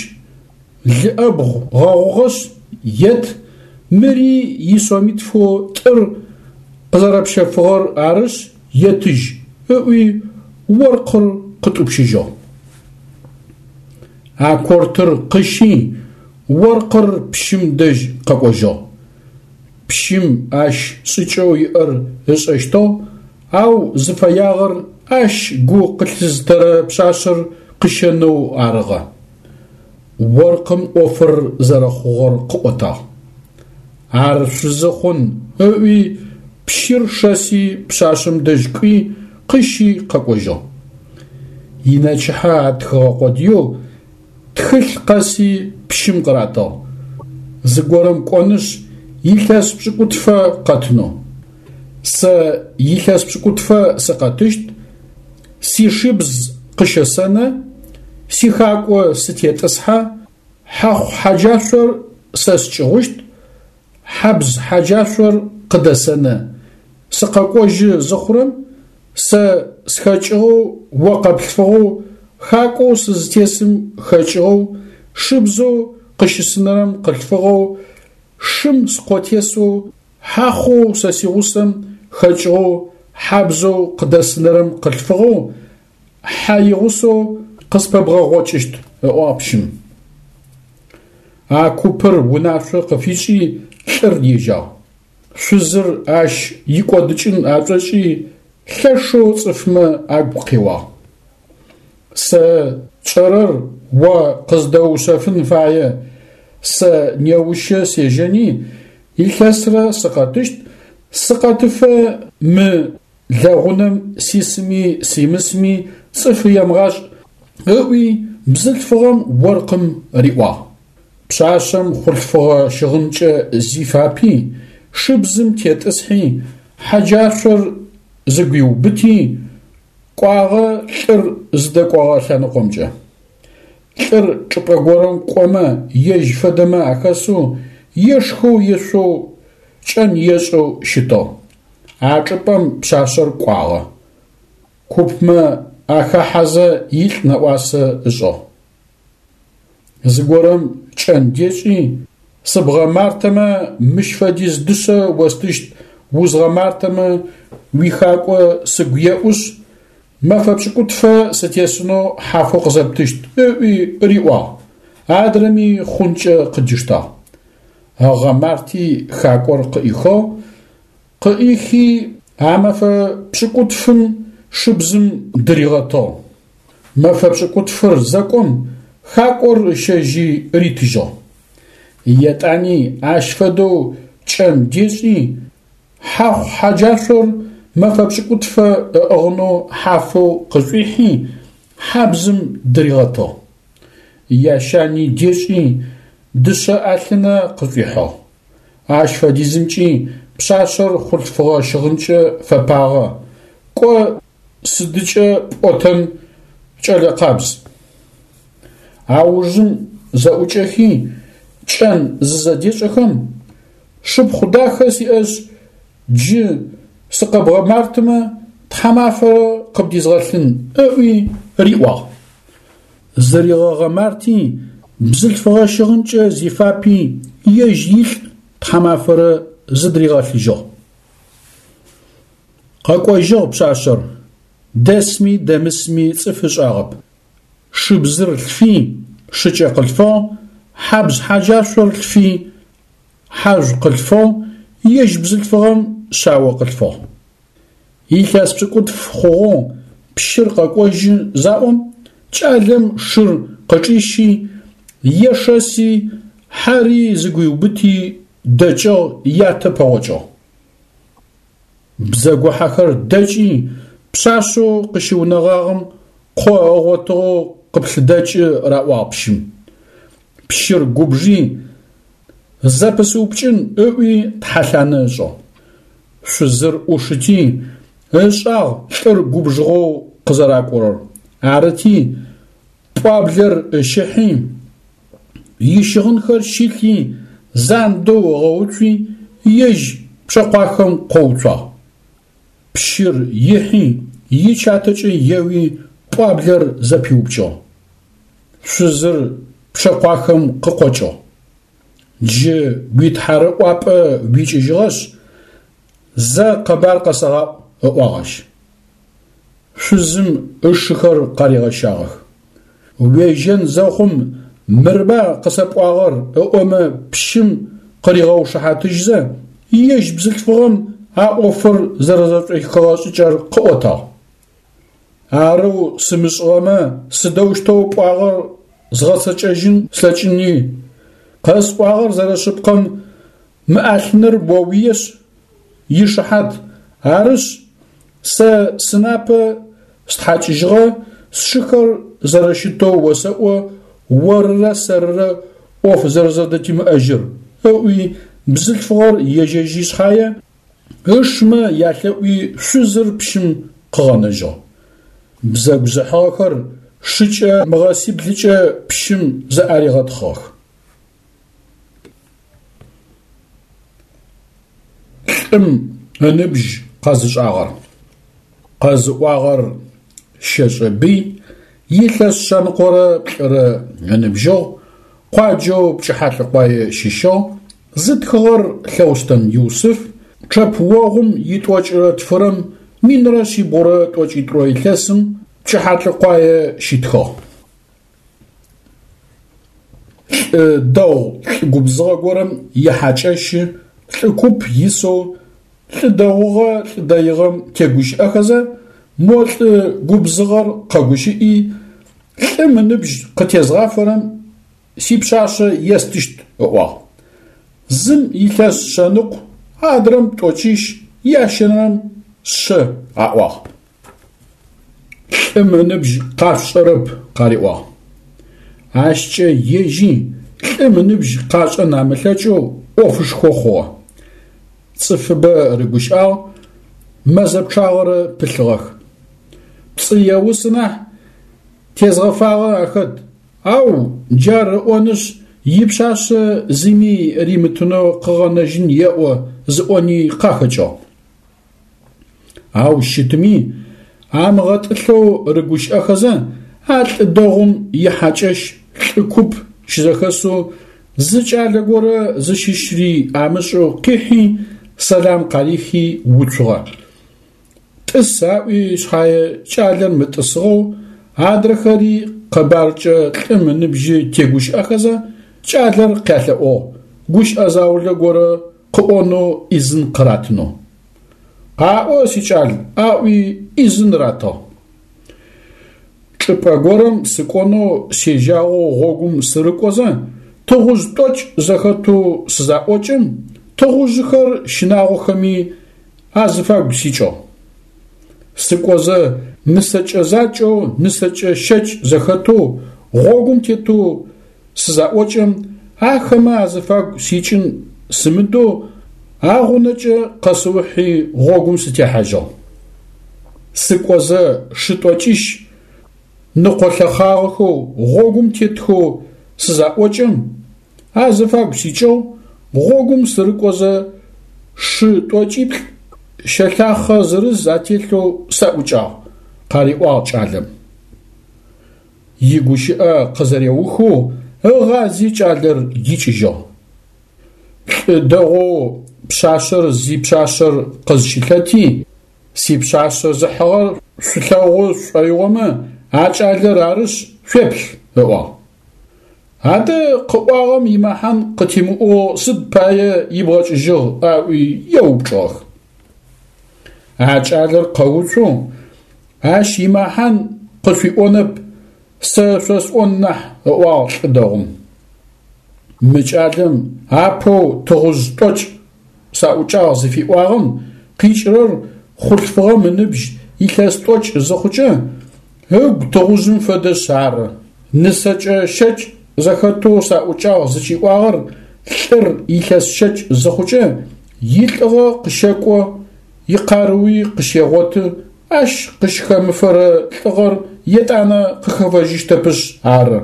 лы ӏэбгъу гъэгъугъэшъ ет, мыри исомитфэу тӏыр къызэрэпщэфыгъэр арышъ етыжь, ыӏуи оркъыр къытӏупщыжьыгъ. А кортыр къыщи, оркъыр пщым дэжь къэкӏожьыгъ. Пщым ащ шӏыкӏэу иӏэр ышӏэщтыгъ, ау зыфэягъэр ащ гу къылъызытэрэ пшъашъэр къыщэнэу арыгъэ. Оркъым ӏофыр зэрэхъугъэр къыӏотагъ. Ар шъузы хъун, ыӏуи пщыр шэси пшъашъэм дэжь кӏуи къыщи къэкӏожьыгъ. Инэчыхьэ атхыгъэ къодыеу тхылъ къэси пщым къыратыгъ. Зыгорэм кӏонышъ илъэс пшӏыкӏутфэ къэтынэу. Сэ илъэс пшӏыкӏутфэ сыкъэтыщт, сишыбз къыщэсэнэ, сихакӏо сытетӏысхьэ, хьэхъу хьэджашъор сэ скӏыгъущт, хьабз хьэджашъор къыдэсэнэ. Сыкъэкӏожьы зыхъурэм сэ схэкӏыгъэу о къэплъфыгъэу хакӏоу сызытесым хэкӏыгъэу, шыбзэу къыщысынэрэм къылъфыгъэу, шым скъо тесэу, хьахъоу сэ сигъусэм хэкӏыгъэу, хьабзэу къыдэсынэрэм къылъфыгъэу, хьэ игъусэу къыспэбгъэгъокӏыщт, ыӏуагъ пщым. А купыр унашъо къыфишӏи лӏыр ежьагъ. Шъузыр ащ икӏодыкӏын ашӏошӏи лъэшэу цӏыфмэ агу къеуагъ. Сэ тшӏэрэр о къыздэуушъэфын фае, сэ неущэ сежьэни илъэсрэ сыкъэтыщт, сыкъэтыфэ мы лэгъунэм сисми симысми цӏыф емыгъашӏ, ыӏуи бзылъфыгъэм оркъым риӏуагъ. Пшъашъэм хъулъфыгъэ щыгъынкӏэ зифапи, шыбзым тетӏысхьи, хьэджашъор зыгуиубыти, кӏуагъэ лӏыр зыдэкӏогъэ лъэныкъомкӏэ. Лӏыр чӏыпӏэ горэм кӏомэ ежь фэдэмэ ахэсэу, ешхэу ешъоу, кӏэн ешӏэу щытыгъ. А чӏыпӏэм пшъашъэр кӏуагъэ. Купмэ ахахьэзэ илӏ нэӏуасэ ышӏыгъ. Зыгорэм кӏэн дешӏи, сыбгъэмартэмэ мыщ фэдиз дышъэ остыщт, узгъэмартэмэ уихакӏо сыгу еӏушъ, мэфэ пшӏыкӏутфэ сытесынэу хьафэу къызэптыщт, ыӏуи риӏуагъ. Адрэми хъункӏэ къыдиштагъ. Ыгъэмарти хакӏор къыӏихыгъ, къыӏихи а мэфэ пшӏыкӏутфым шыбзым дыригъэтыгъ. Мэфэ пшӏыкӏутфыр зэкӏом хакӏор ыщэжьи ритыжьыгъ. Етӏани ащ фэдэу кӏэн дешӏи, хьахъу хьэджашъор мэфэ пшӏыкӏутфэ ыӏыгъынэу хьафэу къышӏуихьи, хьабзым дыригъэтыгъ. Ящани дешӏи, дышъэ ӏалъынэ къышӏуихьыгъ. Ащ фэдизымкӏи пшъашъэр хъулъфыгъэ щыгъынкӏэ фэпагъэ, кӏо сыдыкӏэ пӏотэн кӏэлэ къабз. Аужым зэӏукӏэхи, кӏэн зызэдешӏэхэм, шыпхъу дахэ сиӏэшъ, джы сыкъэбгъэмартымэ тхьамафэрэ къыбдизгъэлъын, ыӏуи риӏуагъ. Зыригъэгъэмарти, бзылъфыгъэ щыгъынкӏэ зифапи, ежь илӏ тхьамафэрэ зыдыригъэлъыжьыгъ. Къэкӏожьыгъ пшъашъэр, дэсми дэмысми цӏыф ышӏагъэп. Шыбзыр лъфи, шыкӏэ къылъфыгъ, хьабз хьэджашъор лъфи, хьажъу къылъфыгъ, ежь бзылъфыгъэм шъао къылъфыгъ. Илъэс пшӏыкӏутф хъугъэу пщыр къэкӏожьы заӏом, кӏалэм шыр къычӏищи, ешэси, хьэри зыгуиубыти дэкӏыгъ, ятэ пэгъокӏыгъ. Бзэгухьэхэр дэкӏи, пшъашъэу къыщыунэгъагъэм къо ыгъотыгъэу къыплъыдэкӏы раӏуагъ пщым. Пщыр губжи, зэпысыупкӏын ыӏуи тхьэлъанэ ышӏыгъ. Шъузыр ӏушыти, ышӏагъ лӏыр губжыгъэу къызэракӏорэр. Арыти, пӏуаблэр ыщыхьи, ищыгъынхэр щилъи, зандэу ыгъэуцуи, ежь пчъэкъуахэм къоуцуагъ. Пщыр ихьи, ичатэкӏэ еуи пӏуаблэр зэпиупкӏыгъ. Шъузыр пчъэкъуахэм къыкъокӏыгъ. Джы уитхьарыӏуапӏэ уикӏыжьыгъэшъ, зэ къэбар къэсэгъаӏу, ыӏуагъ ащ. Шъузым ышыхэр къаригъэщагъэх. Уежьэн зэхъум мырба къысэпӏуагъэр ыӏомэ пщым къыригъэушыхьатыжьзэ, ежь бзылъфыгъэм а ӏофыр зэрэзэшӏуихыгъэ шӏыкӏэр къыӏотагъ. Арэу сымышӏыгъэмэ сыдэущтэу пӏуагъэр згъэцэкӏэжьын слъэкӏыни, къэсӏуагъэр зэрэшъыпкъэм мы ӏалъыныр оуиешъ, ишыхьат, арышъ, сэ сынапэ стхьакӏыжьыгъэ, сшыхэр зэрэщытэу осэӏо орырэ сэрырэ ӏоф зэрэзэдытимыӏэжьыр, ыӏуи бзылъфыгъэр ежьэжьи шъхьае, ышмэ ялъэӏуи шъузыр пщым къыгъэнэжьыгъ. Бзэгу зыхьыгъэхэр шыкӏэ мыгъэсиблыкӏэ пщым зэӏаригъэтхъыгъэх. Лӏым ыныбжь къэзышӏагъэр. Къэзыӏуагъэр Щэшӏэ Бый, Илъэс шъэныкъорэ плӏырэ ыныбжьыгъ, къуаджэу Пчыхьалӏыкъуае щыщыгъ, зытхыгъэр Лъэустэн Юсыф, чъэпыогъум итӏокӏырэ тфырэм минрэ шъибгъурэ тӏокӏитӏурэ илъэсым Пчыхьалӏыкъуае щитхыгъ. Лӏы дэгъу лӏы губзыгъэ горэм ихьакӏэщы лӏы куп исэу лӏы дэгъугъэ лӏы дэигъэм тегущыӏэхэзэ, мо лӏы губзыгъэр къэгущыӏи, лӏым ыныбжь къытезгъафэрэм сипшъашъэ естыщт ыӏуагъ. Зым илъэс шъэныкъу, адрэм тӏокӏищ, ящэнэрэм шъэ аӏуагъ. Лӏым ыныбжь къашъушӏэрэп къариӏуагъ. Ащкӏэ ежьи лӏым ыныбжь къашӏэн амылъэкӏэу ӏофышхо хъугъэ. Цӏыфыбэ рыгущыӏагъ, мэзэ пчъагъэрэ пылъыгъэх. Пцӏы еусы нахь, тезгъэфагъэ ахэт, ау джар ыӏонышъ ипшъашъэ зыми римытынэу къыгъэнэжьын еӏо зыӏони къахэкӏыгъ. Ау щытми, амыгъэтӏылъэу рыгущыӏэхэзэ, а лӏы дэгъум ихьакӏэщ лӏы куп щызэхэсэу зы кӏалэ горэ зыщыщри амышӏэу къихьи, сэлам къарихи уцугъэ. Тӏыс аӏуи шъхьае кӏалэр мытӏысыгъэу, адрэхэри къэбаркӏэ лӏым ыныбжьы тегущыӏэхэзэ, кӏалэр къялъэӏугъ, гущыӏэ заулэ горэ къыӏонэу ӏизын къыратынэу. Къаӏо, сикӏал, аӏуи ӏизын ратыгъ. Чӏыпӏэ горэм сыкӏонэу сежьагъэу гъогум сырыкӏозэ, тыгъужъ тӏокӏ зэхэтэу сызаӏокӏэм, тыгъужъыхэр щынагъохэми азыфагу сикӏыгъ. Сыкӏозэ нысэкӏэ закӏэу нысэкӏэ щэкӏ зэхэтэу гъогум тетэу сызаӏокӏэм, ахэмэ азыфагу сикӏын сымыдэу агъунэкӏэ къэсыухьи гъогум сытехьажьыгъ. Сыкӏозэ шы тӏокӏищ ныкъолъэхъагъэхэу гъогум тетхэу сызаӏокӏэм, азыфагу сикӏыгъ, гъогум сырыкӏозэ шы тӏокӏиплӏ щэлъахъэ зырыз ателъэу саӏукӏагъ, къариӏуагъ кӏалэм. Игущыӏэ къызэреухэу ыгъази кӏалэр икӏыжьыгъ. Лӏы дэгъоу пшъашъэр зипшъашъэр къызщылъэти, сипшъашъэ зыхьыгъэр шъулъэгъу шӏоигъомэ, а кӏалэр арышъ шъуеплъ, ыӏуагъ. Адэ къыӏуагъэм имэхьан къытимыӏоу сыд пае ибгъэкӏыжьыгъ аӏуи еупчӏыгъэх. А кӏалэр къэуцу, ащ имэхьан къышъуиӏонэп, сэ шъосӏон нахь, ыӏуагъ лӏы дэгъум. Мы кӏалэм апэу тыгъужъ тӏокӏ саӏукӏагъ зыфиӏуагъэм къикӏырэр хъулъфыгъэм ыныбжь илъэс тӏокӏ зыхъукӏэ, ыгу тыгъужъым фэдэшъ ары. Нысэкӏэ щэкӏ зэхэтэу саӏукӏагъ зыкӏиӏуагъэр лӏыр илъэс щэкӏ зыхъукӏэ, илӏыгъэ къыщэкӏо, икъарыуи къыщегъоты, ащ къыщхэмыфэрэ лӏыгъэр етӏанэ къыхэфэжьыщтэпышъ ары.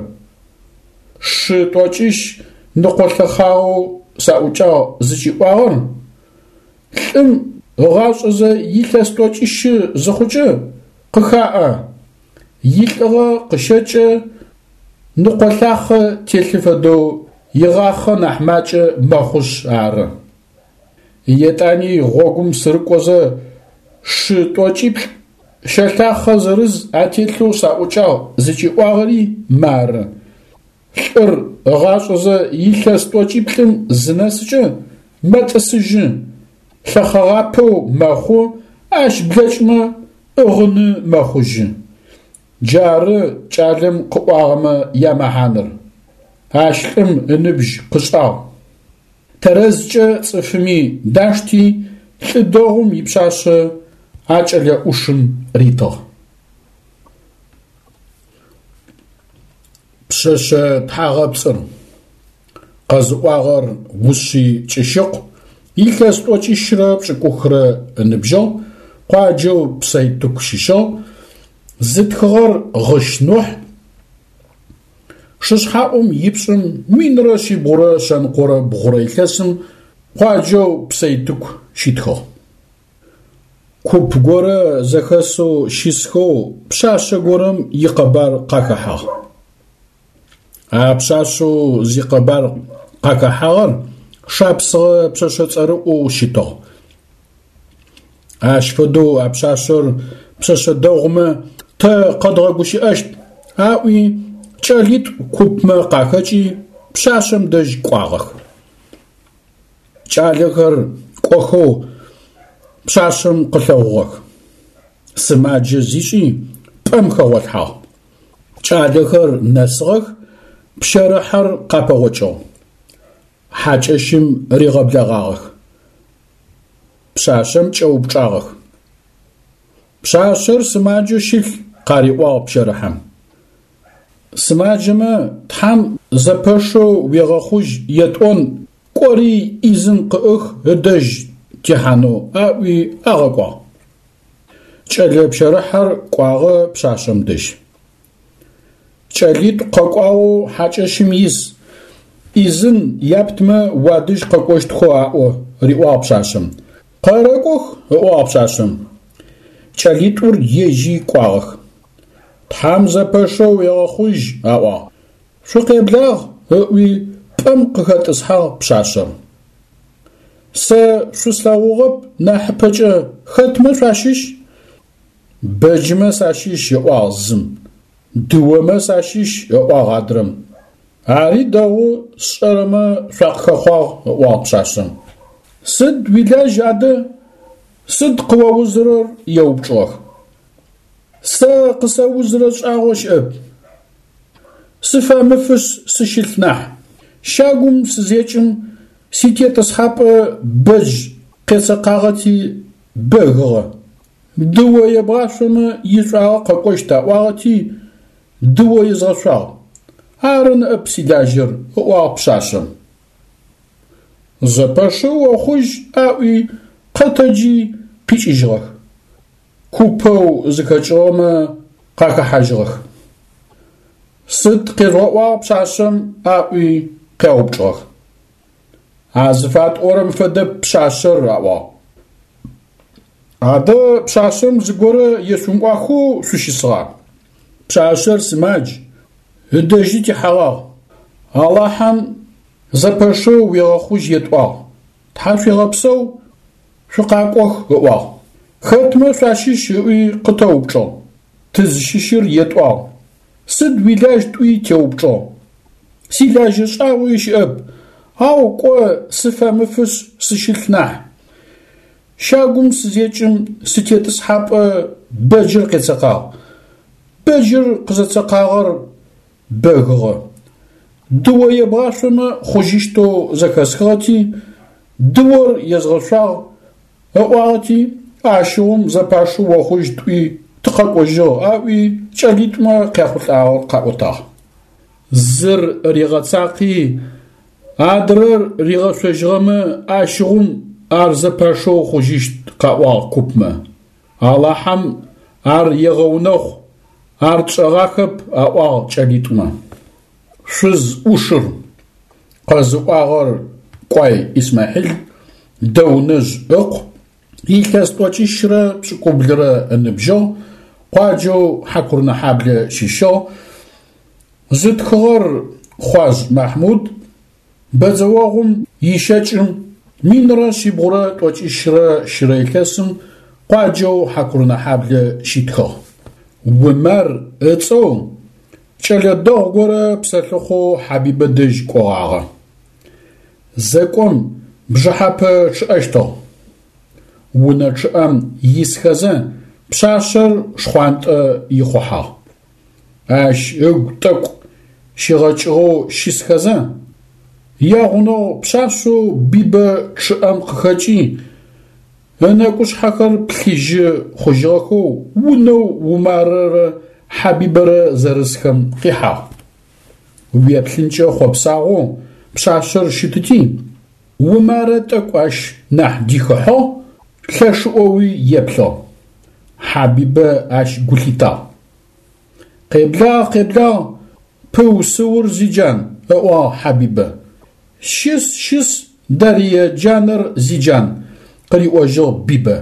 Шы тӏокӏищ ныкъолъэхъагъэу саӏукӏагъ зыкӏиӏуагъэр лӏым ыгъашӏэзэ илъэс тӏокӏищы зыхъукӏэ къыхаӏэ, илӏыгъэ къыщэкӏэ, ныкъолъахъэ телъы фэдэу игъахъэ нахь макӏэ мэхъушъ ары. Етӏани гъогум сырыкӏозэ шы тӏокӏиплӏ щэлъахъэ зырыз ателъэу саӏукӏагъ зыкӏиӏуагъэри мары. Лӏыр ыгъашӏэзэ илъэс тӏокӏиплӏым зынэсыкӏэ мэтӏысыжьы, лъэхъэгъапэу мэхъу, ащ блэкӏмэ ӏыгъыны мэхъужьы. Джары кӏалэм къыӏуагъэмэ ямэхьаныр. Ащ лӏым ыныбжь къышӏагъ. Тэрэзкӏэ цӏыфыми дашти, лӏы дэгъум ипшъашъэ а кӏэлэ ӏушым ритыгъ. Пшъэшъэ тхьагъэпцӏыр. Къэзыӏуагъэр Ушъый Кӏыщыкъу, илъэс тӏокӏищрэ пшӏыкӏухрэ ыныбжьыгъ, къуаджэу Псэйтыку щыщыгъ, зытхыгъэр Гъыщ Нухь, шышъхьэӏум ипшӏым минрэ шъибгъурэ шъэныкъорэ бгъурэ илъэсым къуаджэу Псэйтыку щитхыгъ. Куп горэ зэхэсэу щысхэу пшъашъэ горэм икъэбар къахэхьагъ. А пшъашъэу зикъэбар къахэхьагъэр шапсыгъэ пшъэшъэ цӏэрыӏоу щытыгъ. Ащ фэдэу а пшъашъэр пшъэшъэ дэгъумэ тэ къэдгъэгущыӏэщт, аӏуи кӏэлитӏу купмэ къахэкӏи пшъашъэм дэжь кӏуагъэх. Кӏалэхэр кӏохэу пшъашъэм къылъэгъугъэх. Сымаджэ зишӏи пӏэм хэгъолъхьагъ. Кӏалэхэр нэсыгъэх, пщэрыхьэр къапэгъокӏыгъ. Хьакӏэщым ригъэблэгъагъэх. Пшъашъэм кӏэупчӏагъэх. Пшъашъэр сымаджэу щылъ, къариӏуагъ пщэрыхьэм. Сымаджэмэ Тхьам зэпэшэу уегъэхъужь етӏон, кӏори ӏизын къыӏых ыдэжь тихьанэу аӏуи агъэкӏуагъ. Кӏэлэ пщэрыхьэр кӏуагъэ пшъашъэм дэжь. Кӏэлитӏу къэкӏуагъэу хьакӏэщым ис, ӏизын яптмэ уадэжь къэкӏощтхэу аӏо, риӏуагъ пшъашъэм. Къэрэкӏох, ыӏуагъ пшъашъэм. Кӏэлитӏур ежьи кӏуагъэх. Тхьам зэпэшэу уегъэхъужь, аӏуагъ. Шъукъеблагъ, ыӏуи пӏэм къыхэтӏысхьагъ пшъашъэр. Сэ шъуслъэгъугъэп нахьыпэкӏэ хэтмэ шъуащыщ? Бэджымэ сащыщ, ыӏуагъ зым. Дыомэ сащыщ, ыӏуагъ адрэм. Ари дэгъу сшӏэрэмэ шъуакъыхэхъуагъ, ыӏуагъ пшъашъэм. Сыд уилажь адэ? Сыд къыоузырэр? Еупчӏыгъэх. Сэ къысэузырэ шӏагъо щыӏэп. Сыфэмыфышъ сыщылъ нахь. Щагум сызекӏым ситетӏысхьапӏэ бэдж къецэкъагъэти бэгыгъэ. Дыо ебгъашъомэ ишӏуагъэ къэкӏощт аӏуагъэти дыо езгъэшъуагъ. Ары ныӏэп силажьэр, ыӏуагъ пшъашъэм. Зэпэшэу охъужь аӏуи къэтэджи къикӏыжьыгъэх. Купэу зыхэкӏыгъэмэ къахэхьажьыгъэх. Сыд къежъугъэӏуагъ пшъашъэм аӏуи къяупчӏыгъэх. А зыфатӏорэм фэдэп пшъашъэр, аӏуагъ. Адэ пшъашъэм зыгорэ ешъумыӏуахэу шъущысыгъа? Пшъашъэр сымадж, ыдэжьи тихьэгъагъ. Алахьэм зэпэшэу уегъэхъужь етӏуагъ. Тхьашъуегъэпсэу, шъукъакӏох, ыӏуагъ. Хэтмэ шъуащыщ ыӏуи къытэупчӏыгъ. Тызщыщыр етӏуагъ. Сыд уилажь тӏуи теупчӏыгъ. Силажьэ шӏагъуи щыӏэп, ау кӏо сыфэмыфышъ сыщылъ нахь. Щагум сызекӏым ситетӏысхьапӏэ бэджыр къецэкъагъ. Бэджыр къызэцэкъагъэр бэгыгъэ. Дыо ебгъашъомэ хъужьыщтэу зэхэсхыгъэти, дыор езгъэшъуагъ ыӏуагъэти, ащыгъум зэпашэу охъужь тӏуи тыкъэкӏожьыгъ аӏуи кӏэлитӏумэ къяхъулӏагъэр къаӏотагъ. Зыр ригъэцакъи, адрэр ригъэшъожьыгъэмэ ащыгъум ар зэпашэу хъужьыщт, къаӏуагъ купмэ. Алахьэм ар егъэунэхъу, ар тшӏэгъахэп, аӏуагъ кӏэлитӏумэ. Шъуз ӏушыр къэзыӏуагъэр Кӏуай Исмахьил, Дэунэжъ ыкъу, илъэс тӏокӏищрэ пшӏыкӏублырэ ыныбжьыгъ, къуаджэу Хьакурынэхьаблэ щыщыгъ. Зытхыгъэр Хъуажъ Махьмуд, бэдзэогъум ищэкӏым минрэ шъибгъурэ тӏокӏищрэ щырэ илъэсым къуаджэу Хьакурынэхьаблэ щитхыгъ. Умар ыцӏэу кӏэлэ дэгъу горэ псэлъыхъоу Хьабибэ дэжь кӏогъагъэ. Зэкӏом бжыхьэпэ чъыӏэщтыгъ. Унэ чъыӏэм исхэзэ пшъашъэр шхъуантӏэ ихъухьагъ. Ащ ыгу тӏэкӏу щигъэкӏыгъэу щысхэзэ, ягъунэгъу пшъашъэу Бибэ чъыӏэм къыхэкӏи, ынэкӏушъхьэхэр плъыжьы хъужьыгъэхэу унэу Умарэрэ Хьабибэрэ зэрысхэм къихьагъ. Уеплъынкӏэ хъопсагъоу пшъашъэр щытыти, Умарэ тӏэкӏу ащ нахь дихыхьыгъ, лъэшыӏоуи еплъыгъ. Хьабибэ ащ гу лъитагъ. Къеблагъ, къеблагъ, пыу-сыур зиджан, ыӏуагъ Хьабибэ. Щыс, щыс, Дарые джанэр зиджан, къыриӏожьыгъ Бибэ.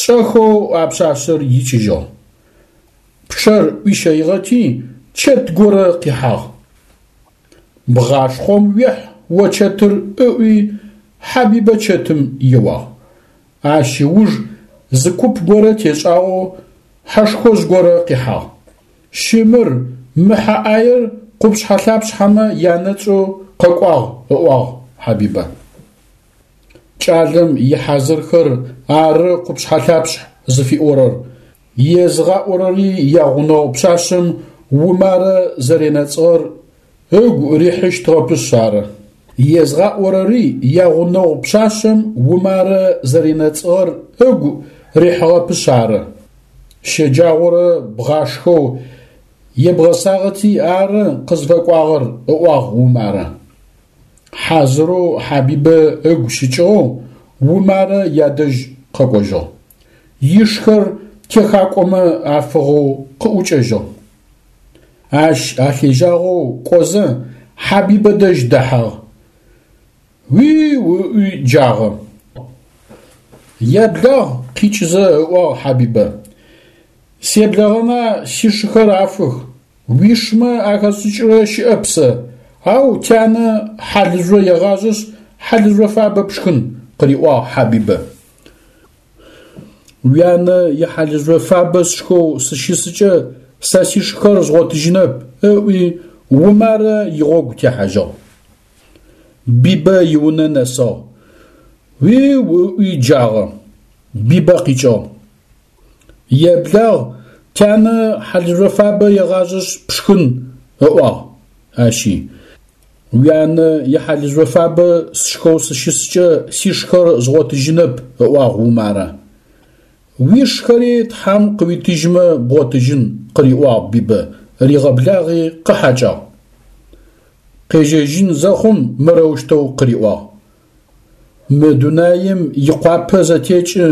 Шӏэхэу а пшъашъэр икӏыжьыгъ. Пчъэр ӏуищэигъэти, чэт горэ къихьагъ. Бгъашхъом уехь, о чэтыр, ыӏуи Хьабибэ чэтым еуагъ. Ащ ыуж зы куп горэ тешӏагъэу хьэшхожъ горэ къихьагъ. Щымыр, мы хьэ ӏаер къупшъхьэ-лъапшъхьэмэ янэцӏэу къэкӏуагъ, ыӏуагъ Хьабибэ. Кӏалэм ихьазырхэр ары къупшъхьэ-лъапшъхь зыфиӏорэр, езыгъаӏорэри ягъунэгъу пшъашъэм Умарэ зэренэцӏыгъэр ыгу рихьыщтыгъэпышъ ары. Езгъаӏорэри ягъунэгъу пшъашъэм Умарэ зэренэцӏыгъэр ыгу рихьыгъэпышъ ары. Щэджагъорэ бгъашхэу ебгъэсагъэти ары къызфэкӏуагъэр, ыӏуагъ Умарэ. Хьазырэу Хьабибэ ыгу щыкӏыгъэу Умарэ ядэжь къэкӏожьыгъ. Ишхэр техакӏомэ афыгъэу къыӏукӏэжьыгъ. Ащ алъежьагъэу кӏозэ Хьабибэ дэжь дэхьагъ. Уиу ыӏуи джагъэ. Еблагъ, къикӏызэ ыӏуагъ Хьабибэ. Себлэгъэна сишыхэр афых, уишмэ ахэсшӏыкӏырэ щыӏэп сэ, ау тянэ хьалыжъо егъажъэшъ хьалыжъо фабэ пшхын, къыриӏуагъ Хьабибэ. Уянэ ихьалыжъо фабэ сшхэу сыщысыкӏэ сэ сишхэр згъотыжьынэп, ыӏуи Умарэ игъогу техьажьыгъ. Бибэ иунэ нэсыгъ. Уиу ыӏуи джагъэ. Бибэ къикӏыгъ. Еблагъ, тянэ хьалыжъо фабэ егъажъэшъ пшхын, ыӏуагъ ащи. Уянэ ихьалыжъо фабэ сшхэу сыщыскӏэ сишхэр згъотыжьынэп, ыӏуагъ Умарэ. Уишхэри Тхьэм къыуитыжьмэ бгъотыжьын, къыриӏуагъ Бибэ, ригъэблагъи къыхьакӏагъ. Къежьэжьын зэхъум мырэущтэу къыриӏуагъ: Мы дунаим икъуапэ зэтекӏы,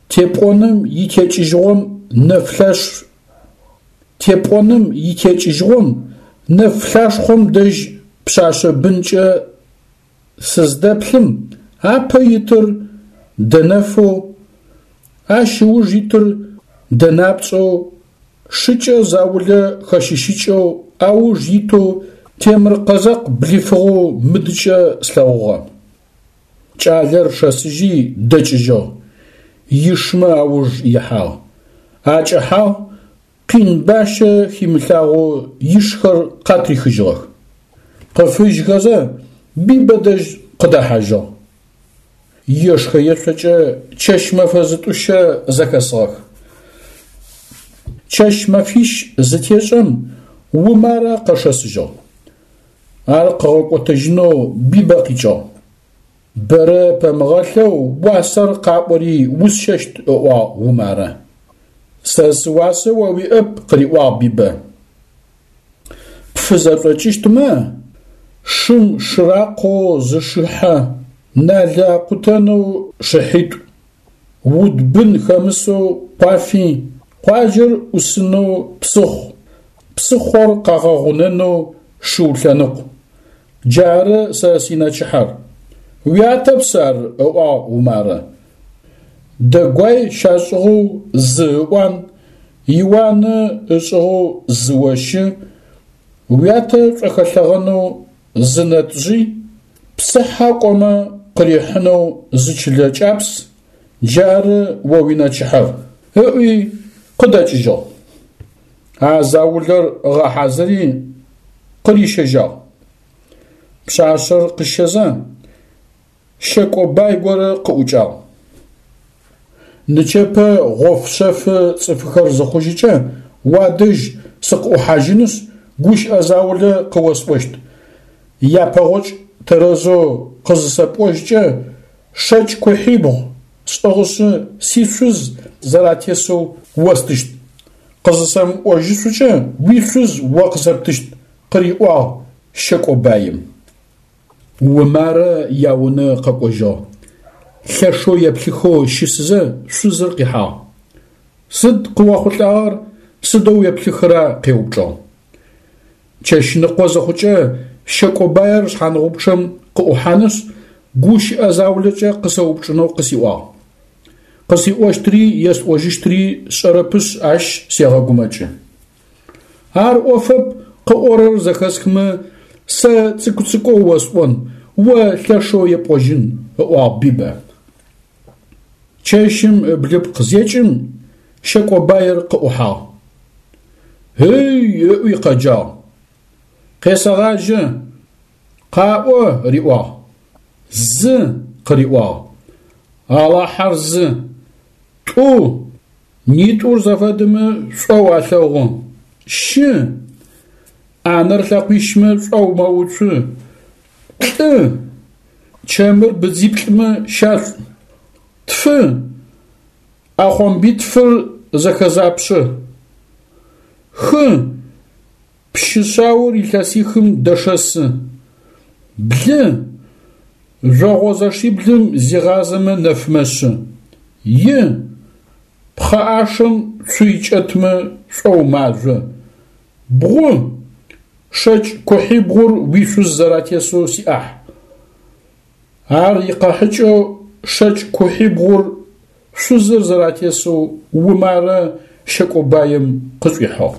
тепӏоным итекӏыжьыгъом нэфлъаш тепӏоным итекӏыжьыгъом нэфлъашхъом дэжь пшъашъэ бынкӏэ сыздэплъым апэ итыр дэнэфэу, ащ ыуж итыр дэнапцӏэу, шыкӏэ заулэ хэщыщыкӏэу ауж итэу темыр къэзэкъ блифыгъэу мыдыкӏэ слъэгъугъэ. Кӏалэр шэсыжьи дэкӏыжьыгъ, ишмэ ауж ихьагъ. Акӏэхьагъ, къин бащэ химылъагъоу ишхэр къатрихыжьыгъэх. Къыфыжьхэзэ Бибэ дэжь къыдэхьажьыгъ. Ешхэ-ешъокӏэ чэщ-мэфэ зытӏущэ зэхэсыгъэх. Чэщ-мэфищ зытешӏэм Умарэ къэшэсыжьыгъ. Ар къыгъэкӏотэжьынэу Бибэ къикӏыгъ. Бэрэ пэмыгъэлъэу уасэр къаӏори усщэщт, ыӏуагъ Умарэ. Сэ сыуасэ о уиӏэп, къыриӏуагъ Бибэ. Пфызэшӏокӏыщтмэ, шым шыракъэу зы шыхьэ, налэ акъутэнэу шыхьитӏу, уд бын хэмысэу къуафи, къуаджэр ӏусынэу псыхъу, псыхъор къагъэгъунэнэу шыу лъэныкъу. Джары сэ синэчыхьэр. Уятэп сэ ар, ыӏуагъ Умарэ. Дэгуай щашӏыгъэу зы ыӏуан, иуанэ ышӏыгъэу зы ощы, уятэ шӏохэлъэгъэнэу зы нэтӏжъый, псыхьэ кӏомэ къырихьынэу зы чылэ кӏапс, джары о уинэчыхьэр, ыӏуи къыдэкӏыжьыгъ. А заулэр ыгъэхьазыри къырищэжьагъ. Пшъашъэр къыщэзэ, щэкӏо бай горэ къыӏукӏагъ. Нычэпэ гъоф-шъэфы цӏыфхэр зыхъужьыкӏэ уадэжь сыкъыӏухьажьынышъ, гущыӏэ заулэ къыосӏощт. Япэгъокӏ тэрэзэу къызысэпӏожькӏэ, шэкӏ кухьибгъу сӏыгъышъы сишъуз зэратесэу остыщт. Къызысэмыӏожьышъукӏэ уишъуз о къысэптыщт, къыриӏуагъ щэкӏо баим. Умарэ яунэ къэкӏожьыгъ. Лъэшэу еплъыхэу щысызэ шъузыр къихьагъ. Сыд къыохъулӏагъэр, сыдэу уеплъыхыра? Къеупчӏыгъ. Чэщныкъо зыхъукӏэ щэкӏо баир шъхьангъупчъэм къыӏухьанышъ, гущыӏэ заулэкӏэ къысэупчӏынэу къысиӏуагъ. Къысиӏощтри есӏожьыщтри сшӏэрэпышъ ащ сегъэгумэкӏы. Ар ӏофэп, къыӏорэр зэхэсхымэ, сэ цӏыкӏу-цӏыкӏоу осӏон, о лъэшэу епӏожьын, ыӏуагъ Бибэ. Чэщым ыблыпкъ зекӏым, шэкӏо баир къыӏухьагъ. Ый ыӏуи къэджагъ. Къесэгъажьэ. Къаӏо, риӏуагъ. Зы, къыриӏуагъ. Алахьэр зы. Тӏу, нитӏур зэфэдэмэ шӏоу алъэгъу. Щы, ӏанэр лъэкъуищмэ шӏоу мэуцу. Плӏы, чэмыр быдзиплӏымэ щашӏу. Тфы, ӏэхъомбитфыр зэхэзапшъэ. Хы, пщы шъаор илъэсихым дэшэсы. Блы, жъогъозэшиблым зигъазэмэ нэф мэшъы. И, пхъэӏашэм цуй кӏэтмэ шӏоу мажъо. Бгъу, шэкӏ кухьибгъур уишъуз зэратесэу сиӏахь. Ар икъэхьыкӏэу шэкӏ кухьибгъур шъузыр зэратесэу Умарэ шэкӏо баим къышӏуихьыгъ.